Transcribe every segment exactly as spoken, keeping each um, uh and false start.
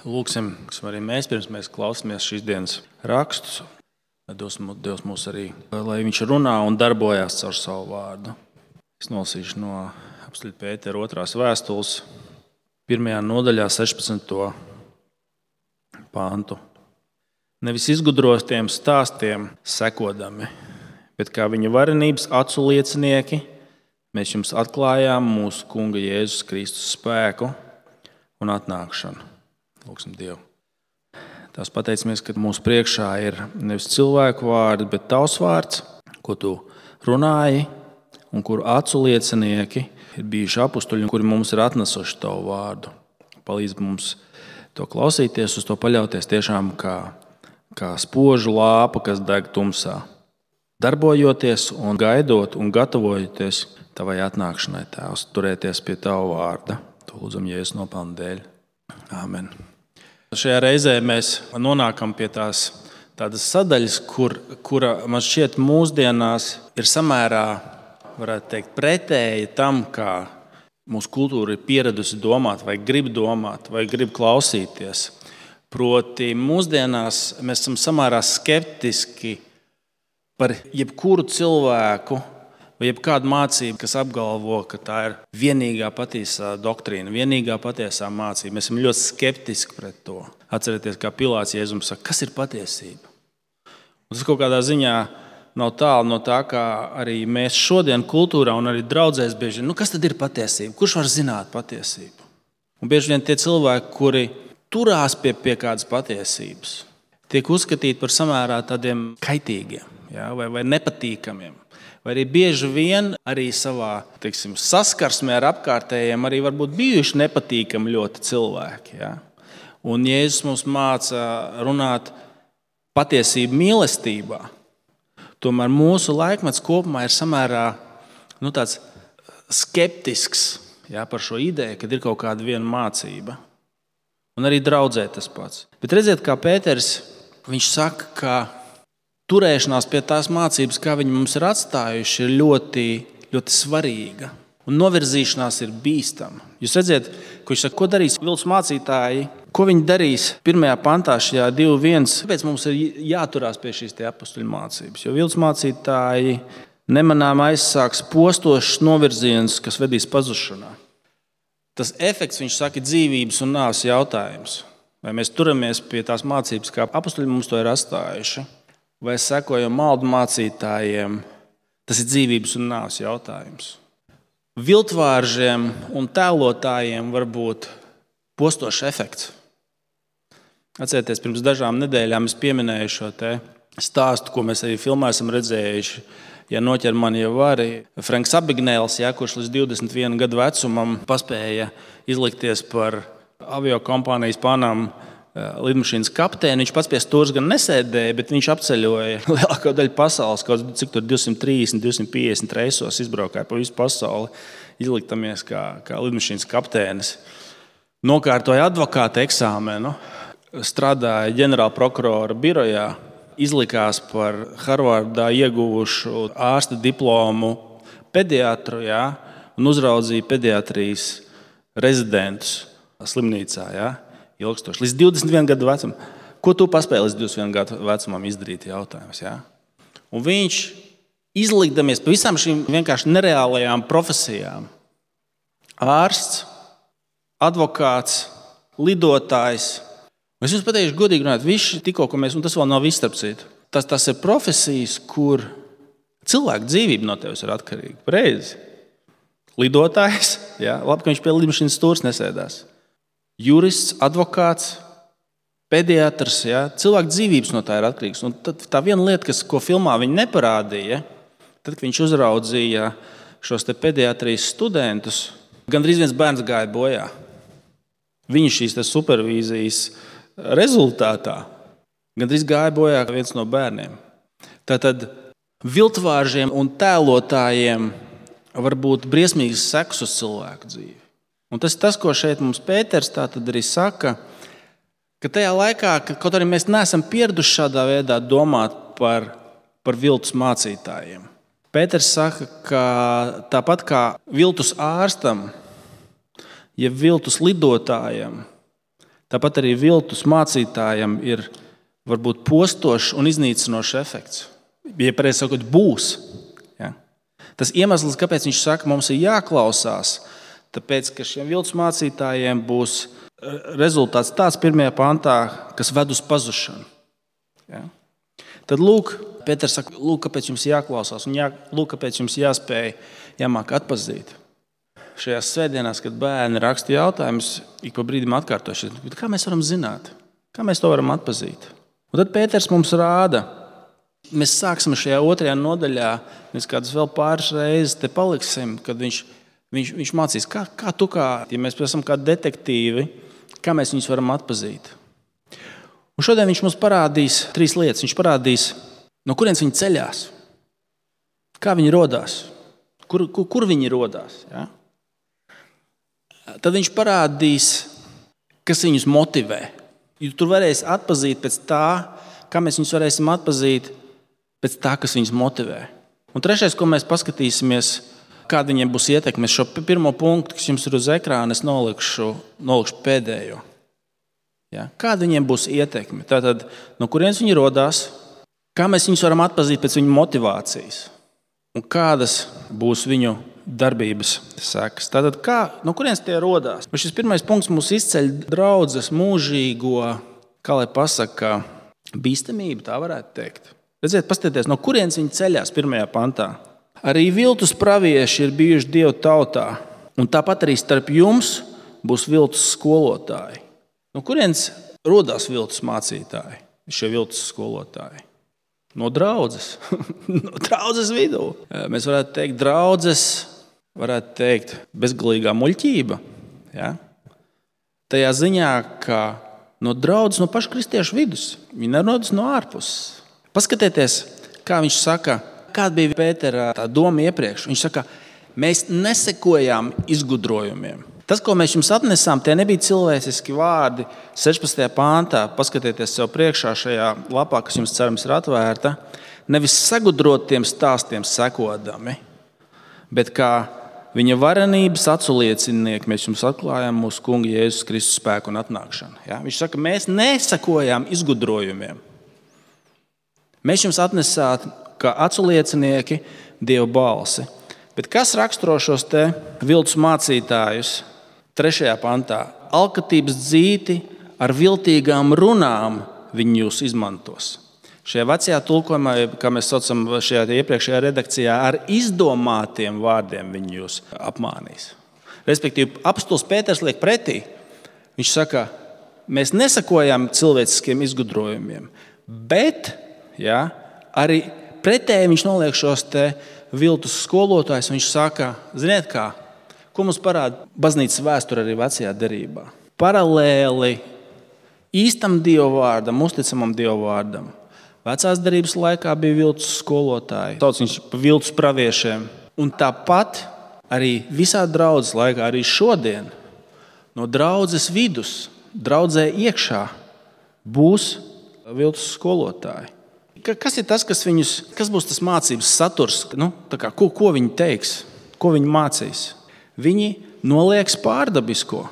Lūksim, kas arī mēs pirms mēs klausāmies šīs dienas rakstus. Dievs, Dievs mūs arī, lai viņš runā un darbojas caur savu vārdu. Es nolasīšu no apostļa Pētera otrās vēstules, pirmajā nodaļā sešpadsmito pantu. Nevis izgudrotiem stāstiem sekodami, bet kā viņa varenības acu liecinieki, mēs jums atklājām mūsu Kunga Jēzus Kristus spēku un atnākšanu. Lūksim Dievu. Tās pateicamies, ka mūsu priekšā ir nevis cilvēku vārdi, bet tavs vārds, ko tu runāji un kuru acu liecinieki ir bijuši apustuļi, kuri mums ir atnesuši tavu vārdu. Palīdz mums to klausīties, uz to paļauties tiešām kā, kā spožu lāpa, kas deg tumsā. Darbojoties un gaidot un gatavojoties tavai atnākšanai, Tēvs, turēties pie tavu vārda. To lūdzam Jēzus nopelna dēļ. Āmen. Šajā reizē mēs nonākam pie tās tādas sadaļas, kur, kura man šķiet mūsdienās ir samērā, varētu teikt, pretēji tam, kā mūsu kultūra ir pieradusi domāt, vai grib domāt, vai grib klausīties. Proti, mūsdienās mēs esam samērā skeptiski par jebkuru cilvēku vai jebkādu mācību, kas apgalvo, ka tā ir vienīgā patiesā doktrīna, vienīgā patiesā mācība. Mēs esam ļoti skeptiski pret to. Atcerieties, kā Pilāts Jēzum saka, kas ir patiesība? Un tas kaut kādā ziņā nav tālu no tā, kā arī mēs šodien kultūrā un arī draudzēs bieži, nu kas tad ir patiesība? Kurš var zināt patiesību? Un bieži vien tie cilvēki, kuri turās pie, pie kādas patiesības, tiek uzskatīti par samērā tādiem kaitīgiem, ja, vai, vai nepatīkamiem. Vai arī bieži vien arī savā teiksim, saskarsmē ar apkārtējiem arī varbūt bijuši nepatīkami ļoti cilvēki. Ja? Un Jēzus mums māca runāt patiesību mīlestībā. Tomēr mūsu laikmets kopumā ir samērā nu, tāds skeptisks ja, par šo ideju, kad ir kaut kāda viena mācība. Un arī draudzē tas pats. Bet redziet, kā Pēters, viņš saka, ka turēšanās pie tās mācības, kā viņi mums ir atstājuši, ir ļoti, ļoti svarīga. Un novirzīšanās ir bīstama. Jūs redziet, ko viņš saka, ko darīs viltus mācītāji, ko viņi darīs pirmajā pantā šajā divi viens. Kāpēc mums ir jāturās pie šīs tie apustuļu mācības? Jo viltus mācītāji nemanām aizsāks postošs novirziens, kas vedīs pazušanā. Tas efekts, viņš saka, ir dzīvības un nāves jautājums. Vai mēs turamies pie tās mācības, kā apustuļi mums to ir atstājuši? Vai sekojam maldu mācītājiem, tas ir dzīvības un nāves jautājums. Viltvāržiem un tēlotājiem var būt postošs efekts. Atcerieties, pirms dažām nedēļām es pieminēju šo te stāstu, ko mēs arī filmā esam redzējuši. Ja noķer mani jau arī Franks Abagnēls, ja, kurš līdz divdesmit viena gadu vecumam paspēja izlikties par aviokompānijas Panam lidmašīnas kapteini. Viņš pats pie stūres gan nesēdēja, bet viņš apceļoja lielāko daļu pasaules, kaut cik tur divsimt trīsdesmit, divsimt piecdesmit reisos izbraukāja pa visu pasauli, izliktamies kā, kā lidmašīnas kapteinis. Nokārtoja advokāta eksāmenu, strādāja ģenerāla prokurora birojā, izlikās par Harvardā ieguvušu ārsta diplomu pediatru, jā, un uzraudzīja pediatrijas rezidentus slimnīcā, jā. Ilgstoši. Līdz divdesmit viena gadu vecumam. Ko tu paspēji līdz divdesmit viena gadu vecumam izdarīt jautājums? Ja? Un viņš izlikdamies pa visām šīm vienkārši nereālajām profesijām. Ārsts, advokāts, lidotājs. Es jums pateikšu godīgi runāt, visi tikko, ko mēs, un tas vēl nav viss starp citu. Tas, tas ir profesijas, kur cilvēku dzīvība no tevis ir atkarīga. Pareizi. Lidotājs, ja? Labi, ka viņš pie lidmašīnas stūres nesēdās. Jurists, advokāts, pediatrs, ja? Cilvēku dzīvības no tā ir atkarīgs. Un tad tā viena lieta, kas, ko filmā viņi neparādīja, tad, kad viņš uzraudzīja šos te pediatrijas studentus, gandrīz viens bērns gāja bojā. Viņa šīs te supervīzijas rezultātā gandrīz gāja bojā viens no bērniem. Tātad viltvāržiem un tēlotājiem var būt briesmīgas sekas uz cilvēku dzīvi. Un tas ir tas, ko šeit mums Pēters tā tad arī saka, ka tajā laikā, ka kaut arī mēs neesam pieraduši šādā veidā domāt par, par viltus mācītājiem. Pēters saka, ka tāpat kā viltus ārstam, ja viltus lidotājam, Tāpat arī viltus mācītājam ir varbūt postošs un iznīcinošs efekts. Ja pareizi sakot, būs. Ja? Tas iemesls, kāpēc viņš saka, mums ir jāklausās, tāpēc, ka šiem viltus mācītājiem būs rezultāts tāds pirmajā pantā, kas ved uz pazušanu. Ja? Tad lūk, Pēters saka, lūk, kāpēc jums jāklausās un jā, lūk, kāpēc jums jāspēj, jāmāk atpazīt. Šajās svētdienās, kad bērni raksta jautājumus, ik pa brīdim atkārtoši, kā mēs varam zināt, kā mēs to varam atpazīt. Un tad Pēters mums rāda, mēs sāksim šajā otrajā nodaļā, mēs kādas vēl pāris reizes te paliksim, kad viņš, viņš, viņš mācīs, kā, kā tu kā, ja mēs esam kā detektīvi, kā mēs viņus varam atpazīt. Un šodien viņš mums parādīs trīs lietas. Viņš parādīs, no kurienes viņi ceļās, kā viņi rodās, kur, kur, kur viņi rodās. Ja? Tad viņš parādīs, kas viņus motivē. Jo tur varēs atpazīt pēc tā, kā mēs viņus varēsim atpazīt pēc tā, kas viņus motivē. Un trešais, ko mēs paskatīsimies, kāda viņiem būs ietekme. Šo pirmo punktu, kas jums ir uz ekrāna, es nolikšu, nolikšu pēdējo. Ja? Kāda viņiem būs ietekme? Tātad, no kurienes viņi rodās, kā mēs viņus varam atpazīt pēc viņu motivācijas un kādas būs viņu darbības sekas. Tātad, kā, no kurienes tie rodās? Un šis pirmais punkts mūs izceļ draudzes mūžīgo, kā lai pasaka, bīstamību, tā varētu teikt. Redziet, paskatieties, no kurienes viņi ceļās pirmajā pantā. Arī viltus pravieši ir bijuši Dieva tautā, un tāpat arī starp jums būs viltus skolotāji. No kurienes rodās viltus mācītāji, šie viltus skolotāji? No draudzes, no draudzes vidū. Mēs varētu teikt, draudzes, varētu teikt, bezgalīgā muļķība. Ja? Tajā ziņā, ka no draudzes, no paša kristiešu vidus, viņi nerodas no ārpuses. Paskatieties, kā viņš saka, kāda bija Pētera tā doma iepriekš. Viņš saka, mēs nesekojām izgudrojumiem. Tas, ko mēs jums atnesām, tie nebija cilvēciski vārdi. sešpadsmitajā pāntā, paskatieties sev priekšā šajā lapā, kas jums cerams ir atvērta, nevis sagudrotiem stāstiem sekodami, bet kā viņa varenības aculiecinieki mēs jums atklājām mūsu Kunga Jēzus Kristus spēku un atnākšanu. Ja? Viņš saka, mēs nesakojām izgudrojumiem. Mēs jums atnesām kā aculiecinieki Dieva balsi. Bet kas raksturo šos te viltus mācītājus? Trešajā pantā. Alkatības dzīti ar viltīgām runām viņi jūs izmantos. Šajā vecajā tulkojumā, kā mēs saucam šajā iepriekšējā redakcijā, ar izdomātiem vārdiem viņi jūs apmānīs. Respektīvi, apostols Pēters liek pretī. Viņš saka, mēs nesakojam cilvēciskiem izgudrojumiem, bet ja, arī pretēji viņš noliek šos te viltus skolotājus. Viņš saka, ziniet kā, ko mums parāda baznīcas vēsture arī vecajā derībā. Paralēli īstam Dieva vārdam, uzticamam Dieva vārdam. Vecās derības laikā bija viltus skolotāji, sauc viņš par viltus praviešiem. Un tāpat arī visā draudzes laikā, arī šodien, no draudzes vidus, draudzē iekšā būs viltus skolotāji. Kas ir tas, kas viņus, kas būs tas mācības saturs? Nu, tā kā, ko, ko viņi teiks, ko viņi mācīs? Viņi nolieks pārdabisko.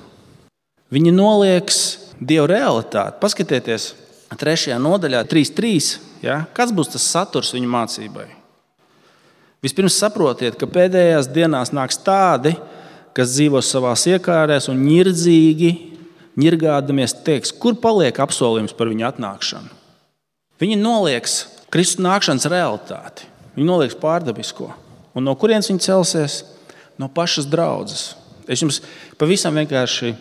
Viņi nolieks Dieva realitāti. Paskatieties, trešajā nodaļā, trīs trīs. Ja? Kāds būs tas saturs viņu mācībai? Vispirms saprotiet, ka pēdējās dienās nāks tādi, kas dzīvos savās iekārēs un ņirdzīgi, ņirgādamies teiks, kur paliek apsolījums par viņu atnākšanu. Viņi nolieks Kristus nākšanas realitāti. Viņi nolieks pārdabisko. Un no kurienes viņi celsies? No pašas draudzes. Es jums pavisam vienkārši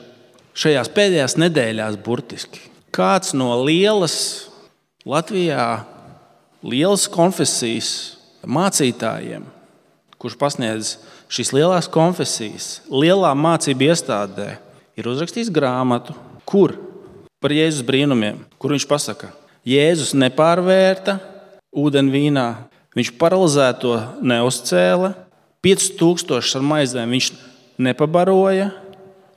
šajās pēdējās nedēļās burtiski. Kāds no lielas Latvijā, lielas konfesijas mācītājiem, kurš pasniedz šīs lielās konfesijas, lielā mācību iestādē, ir uzrakstījis grāmatu, kur par Jēzus brīnumiem, kur viņš pasaka, Jēzus nepārvērta ūdeni vīnā, viņš paralizēto neuzcēla, pieci tūkstoši ar maizēm viņš nepabaroja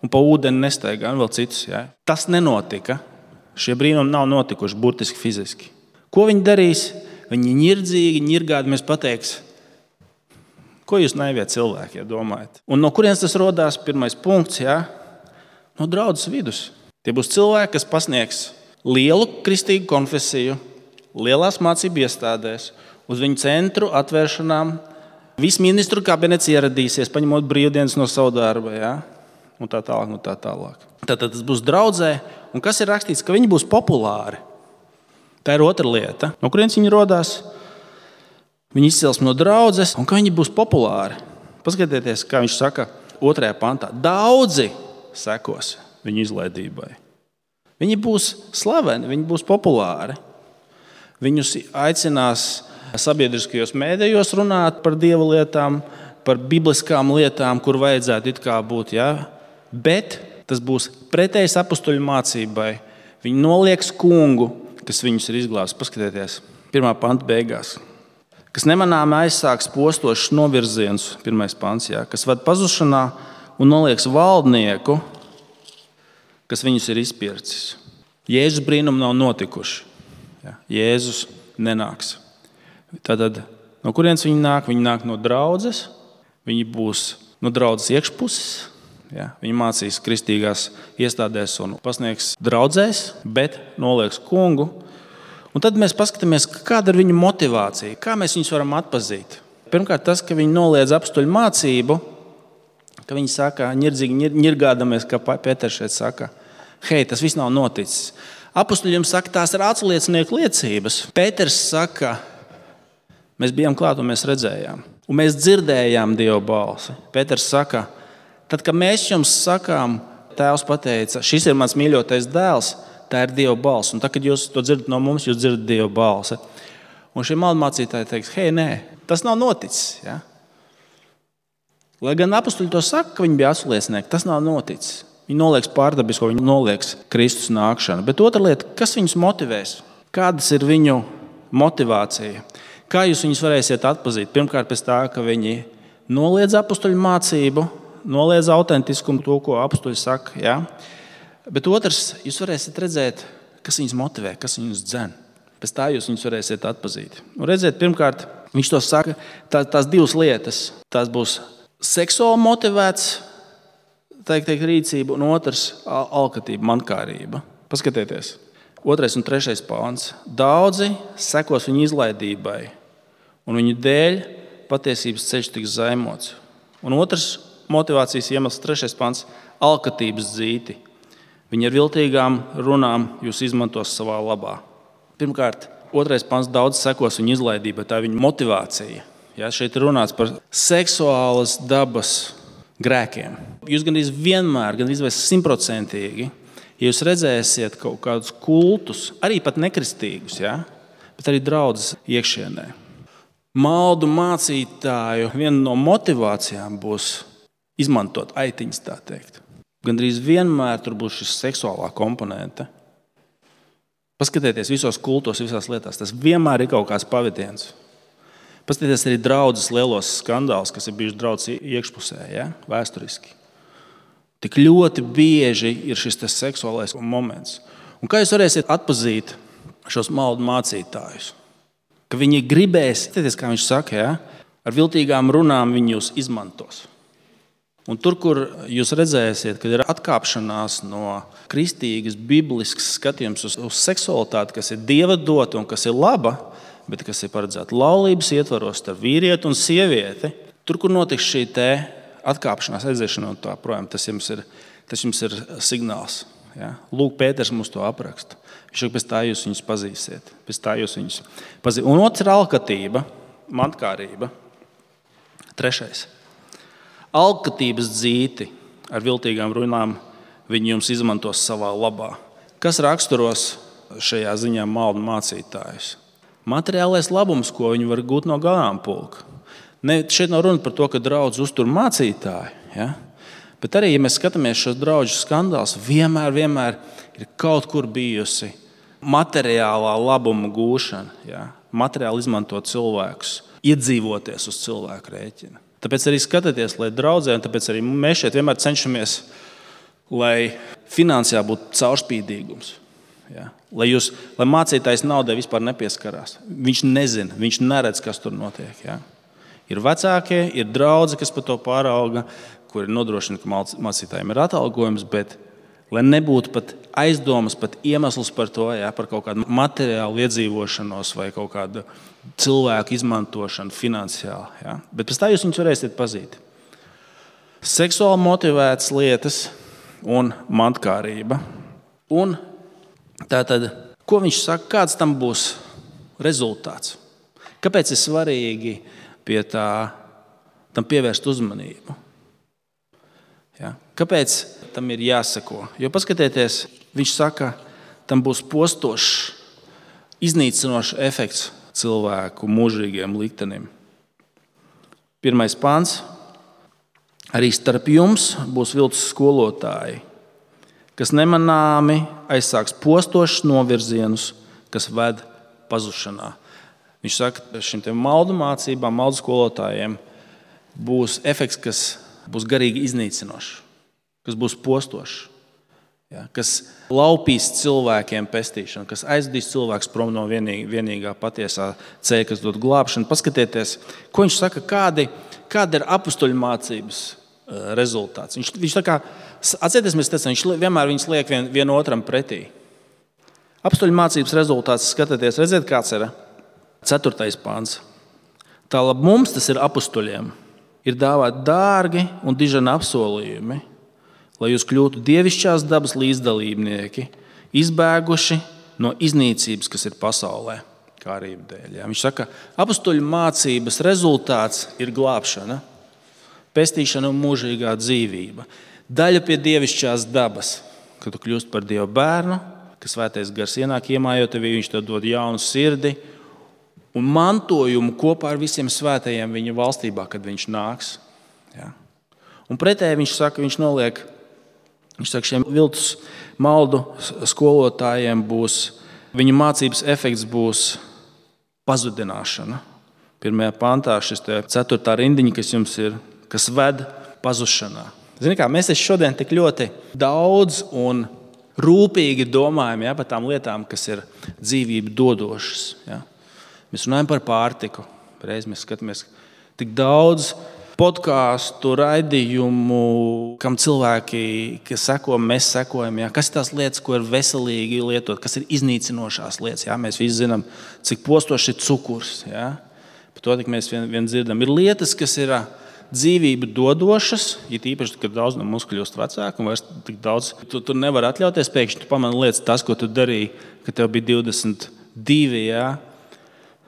un pa ūdeni nestaigā, un vēl citus. Ja? Tas nenotika. Šie brīnumi nav notikuši burtiski fiziski. Ko viņi darīs? Viņi ņirdzīgi, ņirgādamies pateiks, ko jūs naiviet cilvēki, ja domājat. Un no kurienes tas rodās? Pirmais punkts, ja? No draudzes vidus. Tie būs cilvēki, kas pasniegs lielu kristīgu konfesiju, lielās mācību iestādēs, uz viņu centru atvēršanām. Viss ministru kabinets ieradīsies, paņemot brīvdienas no savu darba, ja? Un tā tālāk, un tā tālāk. Tātad tas būs draudzē, un kas ir rakstīts, ka viņi būs populāri. Tā ir otra lieta. No kurienes viņi rodās? Viņi izcels no draudzes, un ka viņi būs populāri. Paskatieties, kā viņš saka otrajā pantā. Daudzi sekos viņu izlaidībai. Viņi būs slaveni, viņi būs populāri. Viņus aicinās sabiedriskajos mēdījos runāt par dieva lietām, par bibliskām lietām, kur vajadzētu it kā būt. Ja? Bet tas būs pretējs apustuļu mācībai. Viņi nolieks kungu, kas viņus ir izglābs. Paskatieties, pirmā panta beigās. Kas nemanāmi aizsāks postošs novirziens, pirmais pants, ja? Kas ved pazušanā un nolieks valdnieku, kas viņus ir izpircis. Jēzus brīnumi nav notikuši. Ja? Jēzus nenāks. Tātad, no kurienes viņi nāk? Viņi nāk no draudzes, viņi būs no draudzes iekšpuses, ja? Viņi mācīs kristīgās iestādēs un pasniegs draudzēs, bet nolieks kungu. Un tad mēs paskatāmies, kāda ir viņu motivācija, kā mēs viņus varam atpazīt. Pirmkārt, tas, ka viņi noliedz apustuļu mācību, ka viņi saka, ņirdzīgi ņirgādamies, kā Pēters šeit saka, hei, tas viss nav noticis. Apustuļiem saka, tās ir aculiecinieku liecības. Pēters saka, mēs bijām klāt un mēs redzējām. Un mēs dzirdējām Dieva balsi. Pēters saka, tad, kad mēs jums sakām, Tēvs pateica, šis ir mans mīļotais dēls, tā ir Dieva balss. Un tā, kad jūs to dzirdat no mums, jūs dzirdat Dieva balsi. Un šie maldmācītāji teiks, hei, nē, tas nav noticis. Ja? Lai gan apustuļi to saka, ka viņi bija aculiecinieki, tas nav noticis. Viņi nolieks pārdabisko, viņi nolieks Kristus nākšanu. Bet otra lieta, kas viņus motivēs? Kādas ir viņu motivācija? Kā jūs viņus varēsiet atpazīt? Pirmkārt, pēc tā, ka viņi noliedz apustuļu mācību, noliedz autentiskumu, to, ko apustuļi saka. Ja? Bet otrs, jūs varēsiet redzēt, kas viņus motivē, kas viņus dzen. Pēc tā jūs viņus varēsiet atpazīt. Un redziet, pirmkārt, viņš to saka, tā, tās divas lietas. Tās būs seksuāli motivēts, teikt, teikt, rīcība, un otrs alkatība, mankārība. Paskatieties, otrais un trešais pāns. Daudzi sekos viņu izlaidībai, un viņu dēļ patiesības ceļš tiks zaimots. Un otrs motivācijas iemesls, trešais pāns, alkatības dzīti. Viņi ar viltīgām runām jūs izmantos savā labā. Pirmkārt, otrais pants daudz sekos viņa izlaidībai, tā ir viņa motivācija. Ja, šeit ir runāts par seksuālas dabas grēkiem. Jūs gandrīz vienmēr, gandrīz vai simtprocentīgi, ja jūs redzēsiet kaut kādus kultus, arī pat nekristīgus, ja, bet arī draudzes iekšienē. Maldu mācītāju viena no motivācijām būs izmantot aitiņas, tā teikt. Gandrīz vienmēr tur būs šis seksuālā komponente. Paskatieties visos kultos, visās lietās. Tas vienmēr ir kaut kāds pavadiens. Paskatieties arī draudzes lielos skandālus, kas ir bijuši draudzes iekšpusē, ja? Vēsturiski. Tik ļoti bieži ir šis seksuālais moments. Un kā jūs varēsiet atpazīt šos maldu mācītājus? Ka viņi gribēs, paskatieties, kā viņš saka, ja? Ar viltīgām runām viņi jūs izmantos. Un tur, kur jūs redzēsiet, kad ir atkāpšanās no kristīgas, bibliskas skatījums uz, uz seksualitāti, kas ir Dieva dota un kas ir laba, bet kas ir paredzēta laulības ietvaros starp vīrieti un sievieti, tur, kur notiks šī te atkāpšanās, aiziešana un tā projām, tas jums ir, tas jums ir signāls. Ja? Lūk, Pēters mums to apraksta. Viņš saka, pēc tā jūs viņus pazīsiet. Pēc tā jūs viņus pazīsiet. Un otrs ir alkatība, mantkārība. Trešais. Alkatības dzīti ar viltīgām runām viņi jums izmantos savā labā. Kas raksturos šajā ziņā maldu mācītājus? Materiālais labums, ko viņi var gūt no ganāmpulka. Ne, šeit nav runa par to, ka draudz uztur mācītāji, ja? Bet arī, ja mēs skatāmies šos draudžu skandālus, vienmēr, vienmēr ir kaut kur bijusi materiālā labuma gūšana, ja? Materiāli izmantot cilvēkus, iedzīvoties uz cilvēku rēķina. Tāpēc arī skatieties, lai draudzē, un tāpēc arī mēs šeit vienmēr cenšamies, lai finansiāli būtu caurspīdīgums. Ja? Lai, jūs, lai mācītājs naudai vispār nepieskarās. Viņš nezina, viņš neredz, kas tur notiek. Ja? Ir vecākie, ir draudzi, kas par to pārauga, kuri nodrošina, ka mācītājiem ir atalgojums, bet lai nebūtu pat aizdomas, pat iemesls par to, jā, par kaut kādu materiālu iedzīvošanos vai kaut kādu cilvēku izmantošanu finansiāli. Jā. Bet pēc tā jūs viņus varēsiet pazīt. Seksuāli motivētas lietas un mantkārība. Un tātad, ko viņš saka, kāds tam būs rezultāts? Kāpēc ir svarīgi pie tā, tam pievērst uzmanību? Ja? Kāpēc tam ir jāseko? Jo paskatieties, viņš saka, tam būs postošs, iznīcinošs efekts cilvēku mūžīgiem liktenim. Pirmais pāns. Arī starp jums būs viltus skolotāji, kas nemanāmi aizsāks postošus novirzienus, kas ved pazušanā. Viņš saka, ka šim maldu mācībām, maldu skolotājiem būs efekts, kas būs garīgi iznīcinošs, kas būs postošs, ja, kas laupīs cilvēkiem pestīšanu, kas aizdīs cilvēkus prom no vienīgā, vienīgā patiesā ceļa, kas dod glābšanu. Paskatieties, ko viņš saka, kādi, kāda ir apustuļu mācības rezultāts. Viņš, viņš tā kā, atcerieties, mēs teicām, viņš vienmēr viņus liek vien, vienotram pretī. Apustuļu mācības rezultāts, skatieties, redziet, kāds ir ceturtais pāns. Tālāk mums, tas ir apustuļiem, ir dāvāti dārgi un dižani apsolījumi, lai jūs kļūtu dievišķās dabas līdzdalībnieki, izbēguši no iznīcības, kas ir pasaulē, kārību dēļ. Ja? Viņš saka, apustuļu mācības rezultāts ir glābšana, pestīšana un mūžīgā dzīvība. Daļa pie dievišķās dabas, kad tu kļūst par Dieva bērnu, ka svētais gars ienāk iemājot tevī, viņš tev dod jaunu sirdi un mantojumu kopā ar visiem svētajiem viņa valstībā, kad viņš nāks. Ja? Un pretēji viņš saka, viņš noliek, viņš saka, šiem viltus maldu skolotājiem būs, viņa mācības efekts būs pazudināšana. Pirmajā pantā šis te ceturtā rindiņa, kas jums ir, kas ved pazušanā. Zini kā, mēs šodien tik ļoti daudz un rūpīgi domājam, ja, par tām lietām, kas ir dzīvību dodošas. Ja. Mēs runājam par pārtiku. Reiz mēs skatāmies tik daudz podkāstu, raidījumu, kam cilvēki, kas seko, mēs sekojam. Ja. Kas ir tās lietas, ko ir veselīgi lietot, kas ir iznīcinošās lietas. Ja. Mēs visi zinām, cik postoši ir cukurs. Ja. Par to tik mēs vien, vien dzirdam. Ir lietas, kas ir dzīvību dodošas, it īpaši, kad daudz no mums kļūst vecāki un vairs tik daudz. Tu, tu nevari atļauties, pēkšņi tu pamani lietas, tas, ko tu darīji, kad tev bija divdesmit divi, jā.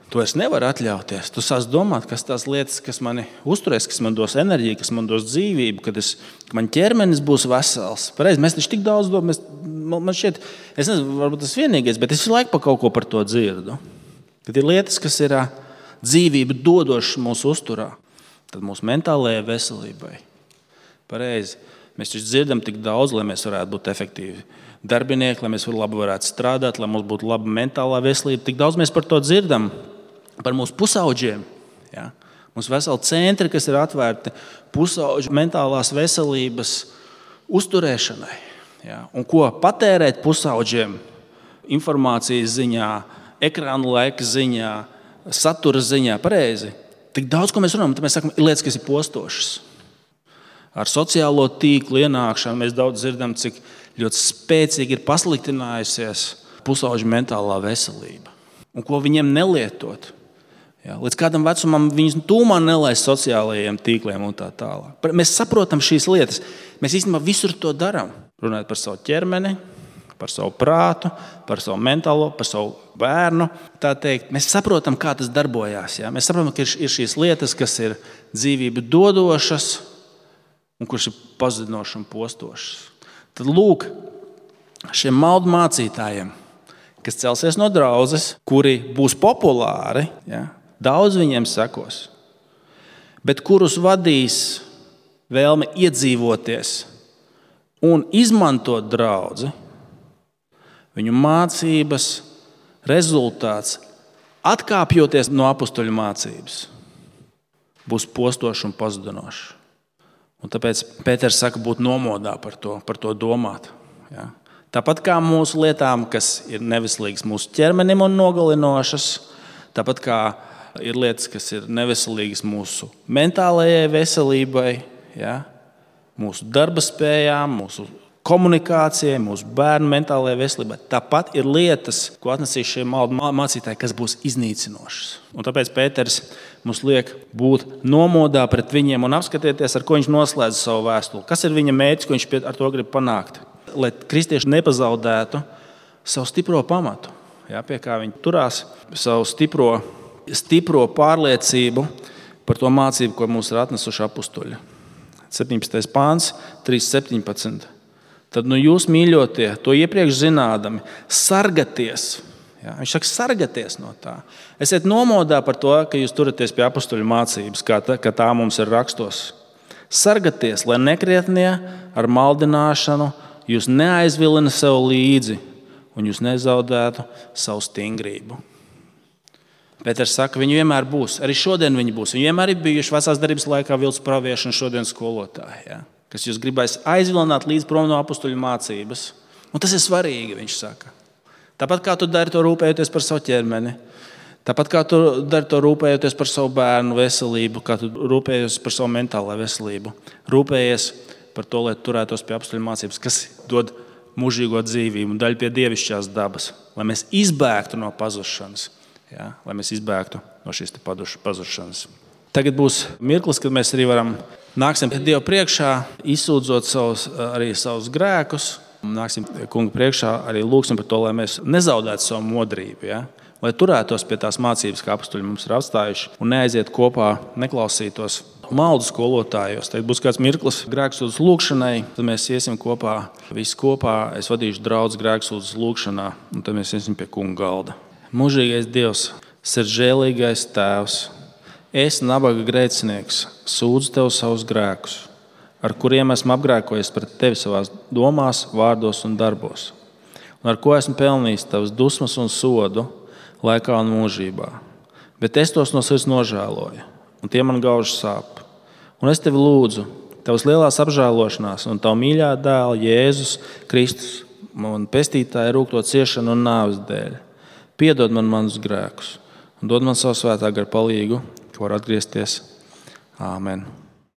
Tu vairs nevari atļauties. Tu sāc domāt, kas tās lietas, kas mani uzturēs, kas man dos enerģiju, kas man dos dzīvību, kad es, ka man ķermenis būs vesels. Pareizi, mēs taču tik daudz domājam, man šķiet, es nezinu, varbūt tas vienīgais, bet es visu laiku pa kaut ko par to dzirdu. Kad ir lietas, kas ir dzīvību dodošas mūsu uzturā. Tad mūsu mentālajai veselībai. Pareizi. Mēs taču dzirdam tik daudz, lai mēs varētu būt efektīvi darbinieki, lai mēs labi varētu strādāt, lai mums būtu laba mentālā veselība. Tik daudz mēs par to dzirdam, par mūsu pusauģiem. Ja? Mums veseli centri, kas ir atvērti pusauģu mentālās veselības uzturēšanai. Ja? Un ko patērēt pusauģiem informācijas ziņā, ekrānu laika ziņā, satura ziņā. Pareizi. Tik daudz, ko mēs runājam, tad mēs sakam, ir lietas, kas ir postošas. Ar sociālo tīklu ienākšanu mēs daudz dzirdam, cik ļoti spēcīgi ir pasliktinājusies pusauģu mentālā veselība. Un ko viņiem nelietot. Ja, līdz kādam vecumam viņus tūmā nelaist sociālajiem tīkliem un tā tālāk. Mēs saprotam šīs lietas. Mēs īstenībā visur to darām. Runājot par savu ķermeni, par savu prātu, par savu mentālo, par savu bērnu. Tā teikt, mēs saprotam, kā tas darbojās. Ja? Mēs saprotam, ka ir šīs lietas, kas ir dzīvību dodošas un kuras ir pazudinošas un postošas. Tad lūk, šiem maldu mācītājiem, kas celsies no draudzes, kuri būs populāri, ja? Daudz viņiem sekos, bet kurus vadīs vēlme iedzīvoties un izmantot draudzi, viņu mācības rezultāts, atkāpjoties no apustuļu mācības, būs postošs un pazudinošs. Un tāpēc Pēters saka, būt nomodā par to, par to domāt. Ja? Tāpat kā mūsu lietām, kas ir neveselīgas mūsu ķermenim un nogalinošas, tāpat kā ir lietas, kas ir neveselīgas mūsu mentālajai veselībai, ja? Mūsu darba spējām, mūsu komunikācijai, mūsu bērnu mentālajai veselībai. Tāpat ir lietas, ko atnesīs šie maldu mācītāji, kas būs iznīcinošas. Un tāpēc Pēters mums liek būt nomodā pret viņiem un apskatieties, ar ko viņš noslēdz savu vēstuli. Kas ir viņa mērķis, ko viņš ar to grib panākt? Lai kristieši nepazaudētu savu stipro pamatu, jā, pie kā viņi turās, savu stipro, stipro pārliecību par to mācību, ko mums ir atnesuši apustuļi. septiņpadsmitais pāns, trīs septiņpadsmit. Tad nu jūs, mīļotie, to iepriekš zinādami, sargaties. Ja, viņš saka, sargaties no tā. Esiet nomodā par to, ka jūs turaties pie apustuļu mācības, kā tā, kā tā mums ir rakstos. Sargaties, lai nekrietnie ar maldināšanu jūs neaizvilina sev līdzi un jūs nezaudētu savu stingrību. Pēters saka, viņi vienmēr būs. Arī šodien viņi būs. Viņi vienmēr ir bijuši vecās darbības laikā vilcu pravieši un šodien skolotāji. Ja? Kas jūs gribēs aizvilināt līdz prom no apustuļu mācības. Un tas ir svarīgi, viņš saka. Tāpat kā tu dari to rūpējoties par savu ķermeni, tāpat kā tu dari to rūpējoties par savu bērnu veselību, kā tu rūpējies par savu mentālo veselību, rūpējies par to, lai turētos pie apustuļu mācības, kas dod mūžīgo dzīvību un daļu pie dievišķās dabas, lai mēs izbēgtu no pazušanas, ja? Lai mēs izbēgtu no šīs pazušanas. Tagad būs mirklis, kad mēs arī varam nāksim Dievu priekšā, izsūdzot savus, arī savus grēkus. Nāksim kunga priekšā, arī lūgsim par to, lai mēs nezaudētu savu modrību. Ja? Lai turētos pie tās mācības, kā apustuļi mums ir atstājuši, un neaiziet kopā, neklausītos maldu skolotājos. Tad būs kāds mirklis grēksūdzes lūgšanai, tad mēs iesim kopā, visi kopā. Es vadīšu draudz grēksūdzes lūgšanā, un tad mēs iesim pie kunga galda. Mūžīgais Dievs, sirdžēlīgais Tēvs, es, nabaga grēcinieks, sūdzu Tev savus grēkus, ar kuriem esmu apgrēkojies pret Tevi savās domās, vārdos un darbos, un ar ko esmu pelnījis Tavas dusmas un sodu laikā un mūžībā. Bet es tos no sirds nožēloju, un tie man gauži sāp. Un es Tevi lūdzu, Tavas lielās apžēlošanās un Tavu mīļā dēla Jēzus Kristus, man pestītāja rūgto ciešanu un nāves dēļ. Piedod man manus grēkus un dod man savu svētā gara palīgu, ka var atgriezties. Āmen.